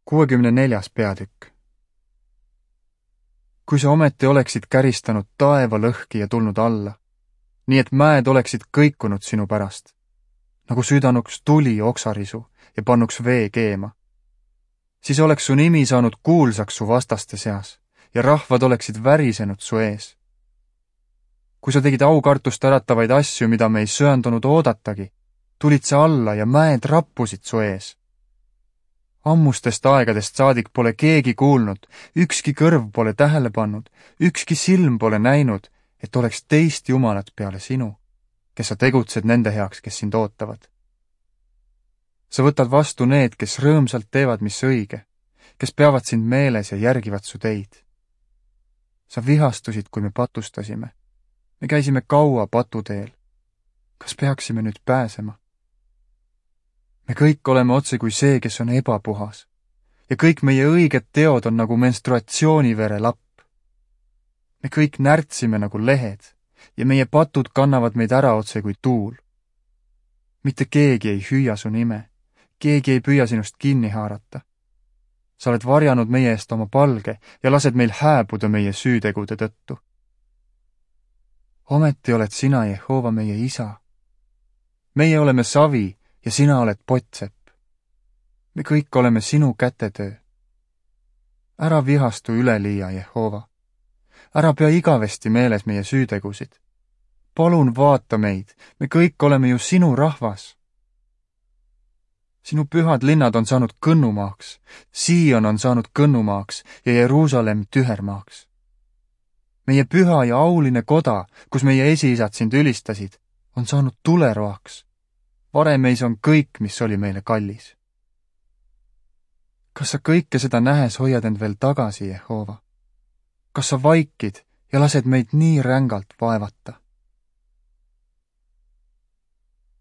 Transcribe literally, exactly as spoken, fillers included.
kuuekümne neljas peatükk. Kui sa ometi oleksid käristanud taeva lõhki ja tulnud alla, nii et mäed oleksid kõikunud sinu pärast, nagu südanuks tuli oksarisu ja pannuks vee keema, siis oleks su nimi saanud kuulsaks su vastaste seas ja rahvad oleksid värisenud su ees. Kui sa tegid aukartust äratavaid asju, mida me ei söandunud oodatagi, tulid sa alla ja mäed rappusid su ees. Ammustest aegadest saadik pole keegi kuulnud, ükski kõrv pole tähele pannud, ükski silm pole näinud, et oleks teist Jumalat peale sinu, kes sa tegutsed nende heaks, kes sind ootavad. Sa võtad vastu need, kes rõõmsalt teevad, mis õige, kes peavad sind meeles ja järgivad su teid. Sa vihastusid, kui me patustasime. Me käisime kaua patuteel. Kas peaksime nüüd pääsema? Me kõik oleme otse kui see, kes on ebapuhas, ja kõik meie õiged teod on nagu menstruatsioonivere lapp. Me kõik närtsime nagu lehed, ja meie patud kannavad meid ära otse kui tuul. Mitte keegi ei hüüa su nime, keegi ei püüa sinust kinni haarata. Sa oled varjanud meie eest oma palge ja lased meil hääbuda meie süütegude tõttu. Ometi oled sina, Jehova, meie isa. Meie oleme savi, ja sina oled potsepp. Me kõik oleme sinu kätetöö. Ära vihastu üleliia, Jehova. Ära pea igavesti meeles meie süütegusid. Palun vaata meid, me kõik oleme ju sinu rahvas. Sinu pühad linnad on saanud kõnnumaaks, Sion on saanud kõnnumaaks ja Jeruusalemm tühermaaks. Meie püha ja auline koda, kus meie esiisad sind ülistasid, on saanud tuleroaks. Varemeis on kõik, mis oli meile kallis. Kas sa kõike seda nähes hoiad end veel tagasi, Jehova? Kas sa vaikid ja lased meid nii rängalt vaevata?